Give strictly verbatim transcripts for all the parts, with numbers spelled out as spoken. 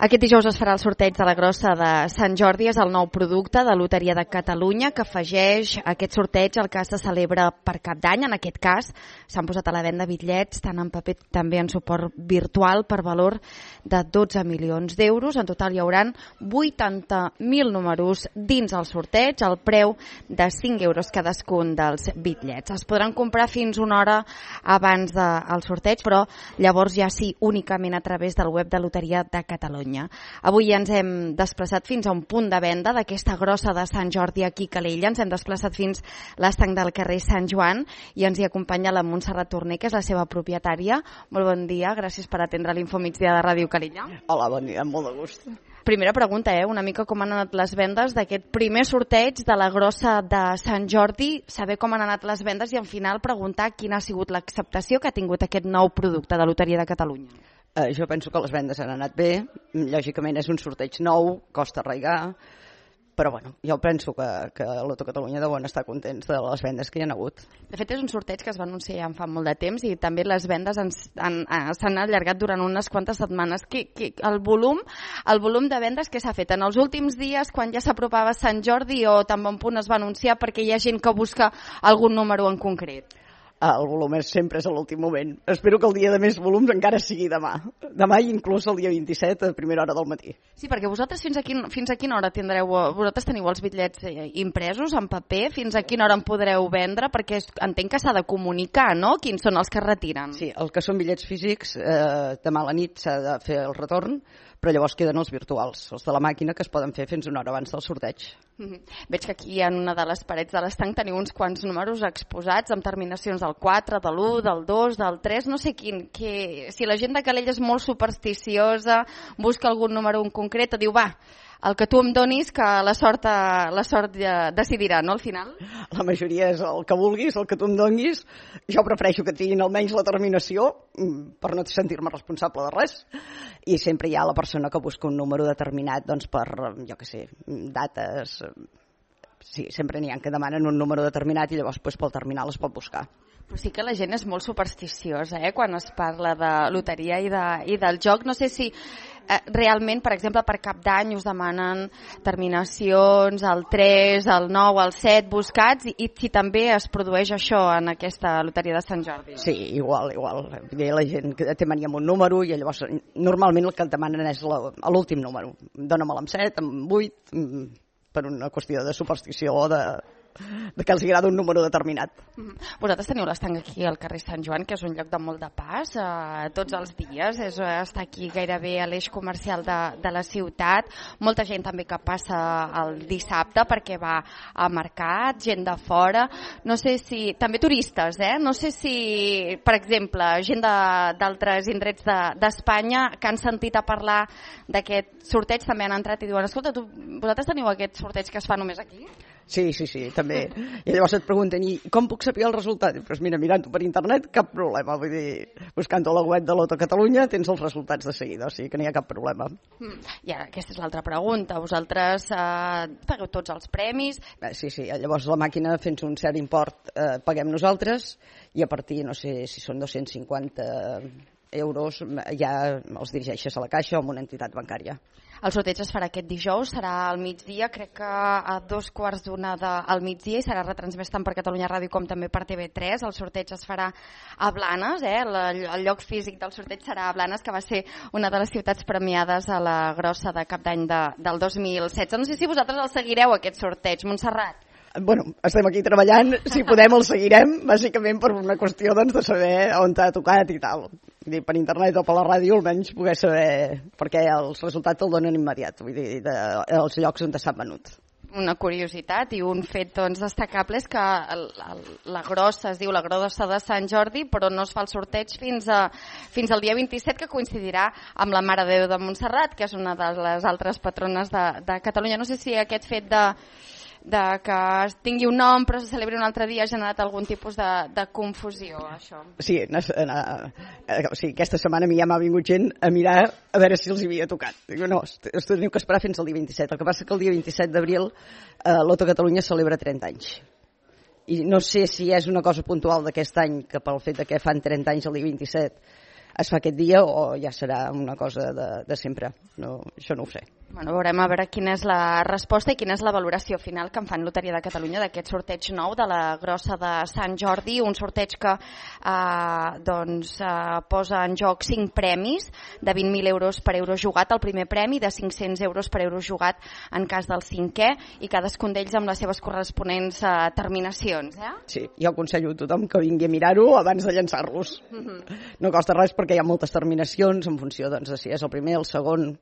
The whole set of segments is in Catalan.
Aquest dijous es farà el sorteig de la grossa de Sant Jordi. És el nou producte de Loteria de Catalunya que afegeix aquest sorteig al que se celebra per Cap d'Any. En aquest cas s'han posat a la venda bitllets tant en paper també en suport virtual per valor de dotze milions d'euros. En total hi haurà vuitanta mil números dins el sorteig, al preu de cinc euros cadascun dels bitllets. Es podran comprar fins una hora abans del sorteig, però llavors ja sí únicament a través del web de Loteria de Catalunya. Avui ens hem desplaçat fins a un punt de venda d'aquesta grossa de Sant Jordi aquí a Calella. Ens hem desplaçat fins a l'estanc del carrer Sant Joan i ens hi acompanya la Montserrat Torner, que és la seva propietària. Molt bon dia, gràcies per atendre l'Infomigdia de Ràdio Calella. Hola, bon dia, amb molt de gust. Primera pregunta, eh? una mica com han anat les vendes d'aquest primer sorteig de la grossa de Sant Jordi, saber com han anat les vendes i al final preguntar quina ha sigut l'acceptació que ha tingut aquest nou producte de Loteria de Catalunya. Eh, jo penso que les vendes han anat bé, lògicament és un sorteig nou, costa arraigar, però bueno, jo penso que, que Loto Catalunya deuen estar contents de les vendes que hi ha hagut. De fet, és un sorteig que es va anunciar ja fa molt de temps i també les vendes s'han allargat durant unes quantes setmanes. Que, que el volum el volum de vendes que s'ha fet en els últims dies, quan ja s'apropava Sant Jordi o tan bon punt es va anunciar, perquè hi ha gent que busca algun número en concret? El volum és, sempre és a l'últim moment. Espero que el dia de més volums encara sigui demà. Demà i inclús el dia vint-i-set a primera hora del matí. Sí, perquè vosaltres fins a, quin, fins a quina hora tindreu, vosaltres teniu els bitllets impresos en paper, fins a quina hora en podreu vendre, perquè entenc que s'ha de comunicar, no?, quins són els que retiren. Sí, el que són bitllets físics, eh, demà a la nit s'ha de fer el retorn, però llavors queden els virtuals, els de la màquina, que es poden fer fins una hora abans del sorteig. Mm-hmm. Veig que aquí en una de les parets de l'estanc teniu uns quants números exposats amb terminacions del quatre, de l'u, del dos, del tres, no sé quin, que si la gent de Calella és molt supersticiosa, busca algun número en concret, diu, va, el que tu em donis, que la sort, la sort ja decidirà, no, al final? La majoria és el que vulguis, el que tu em donis. Jo prefereixo que tinguin almenys la terminació, per no sentir-me responsable de res. I sempre hi ha la persona que busca un número determinat, doncs per, jo què sé, dates. Sí, sempre n'hi ha que demanen un número determinat i llavors pues, pel terminal es pot buscar. Però sí que la gent és molt supersticiosa, eh? Quan es parla de loteria i, de, i del joc. No sé si eh, realment, per exemple, per Cap d'Any us demanen terminacions, el tres, el nou, el set, buscats, i, i si també es produeix això en aquesta loteria de Sant Jordi. Sí, igual, igual. La gent que té mania amb un número i llavors normalment el que et demanen és l'últim número. Dóna-me'l amb set, amb vuit, per una qüestió de superstició o de... de que els agrada un número determinat. Vosaltres teniu l'estanc aquí al carrer Sant Joan, que és un lloc de molt de pas, eh, tots els dies, és, està aquí gairebé a l'eix comercial de, de la ciutat, molta gent també que passa el dissabte perquè va a mercat, gent de fora, no sé si, també turistes, eh? No sé si, per exemple, gent d'altres indrets d'Espanya de, que han sentit a parlar d'aquest sorteig també han entrat i diuen, escolta, tu, vosaltres teniu aquest sorteig que es fa només aquí? Sí, sí, sí, també. I llavors et pregunten, i com puc saber el resultat? Doncs pues mira, mirant-ho per internet, cap problema. Vull dir, buscant-ho a la web de Loto Catalunya tens els resultats de seguida, o sigui que no hi ha cap problema. I ara, aquesta és l'altra pregunta. Vosaltres eh, pagueu tots els premis? Eh, sí, sí, llavors la màquina, fent un cert import, eh, paguem nosaltres, i a partir, no sé si són dos-cents cinquanta euros, ja els dirigeixes a la caixa o a una entitat bancària. El sorteig es farà aquest dijous, serà al migdia, crec que a dos quarts d'una al migdia, i serà retransmès tant per Catalunya Ràdio com també per T V tres. El sorteig es farà a Blanes, eh? el, el lloc físic del sorteig serà a Blanes, que va ser una de les ciutats premiades a la grossa de Cap d'Any de, del dos mil setze. No sé si vosaltres el seguireu, aquest sorteig, Montserrat. Bueno, estem aquí treballant, si podem el seguirem, bàsicament per una qüestió doncs, de saber on t'ha tocat i tal. Vull dir, per internet o per la ràdio almenys poder saber, perquè els resultats el donen immediat, vull dir, de, els llocs on s'ha venut. Una curiositat i un fet doncs, destacable és que el, el, la grossa es diu la grossa de Sant Jordi, però no es fa el sorteig fins, a, fins al dia vint-i-set, que coincidirà amb la Mare de Déu de Montserrat, que és una de les altres patrones de, de Catalunya. No sé si aquest fet de de que es tingui un nom però se celebri un altre dia ha generat algun tipus de, de confusió, això. Sí, na, na, o sigui, aquesta setmana a mi ja m'ha vingut gent a mirar a veure si els havia tocat. Dic, no, us teniu que esperar fins al dia vint-i-set. El que passa que el dia vint-i-set d'abril eh, Loto Catalunya celebra trenta anys. I no sé si és una cosa puntual d'aquest any, que pel fet que fan trenta anys el dia vint-i-set es fa aquest dia o ja serà una cosa de, de sempre. No, això no ho sé. Bueno, veurem a veure quina és la resposta i quina és la valoració final que en fan Loteria de Catalunya d'aquest sorteig nou de la grossa de Sant Jordi, un sorteig que eh, doncs, eh, posa en joc cinc premis de vint mil euros per euro jugat, el primer premi de cinc-cents euros per euro jugat en cas del cinquè, i cadascun d'ells amb les seves corresponents eh, terminacions. Eh? Sí, jo aconsello a tothom que vingui a mirar-ho abans de llançar-los. Mm-hmm. No costa res perquè hi ha moltes terminacions en funció doncs, de si és el primer, el segon.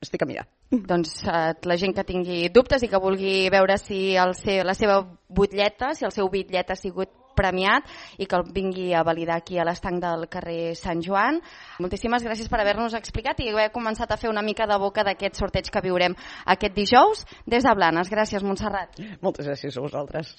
Estic a mirar. Doncs eh, la gent que tingui dubtes i que vulgui veure si el seu, la seva butlleta, si el seu bitllet ha sigut premiat i que el vingui a validar aquí a l'estanc del carrer Sant Joan. Moltíssimes gràcies per haver-nos explicat i haver començat a fer una mica de boca d'aquest sorteig que viurem aquest dijous des de Blanes. Gràcies, Montserrat. Moltes gràcies a vosaltres.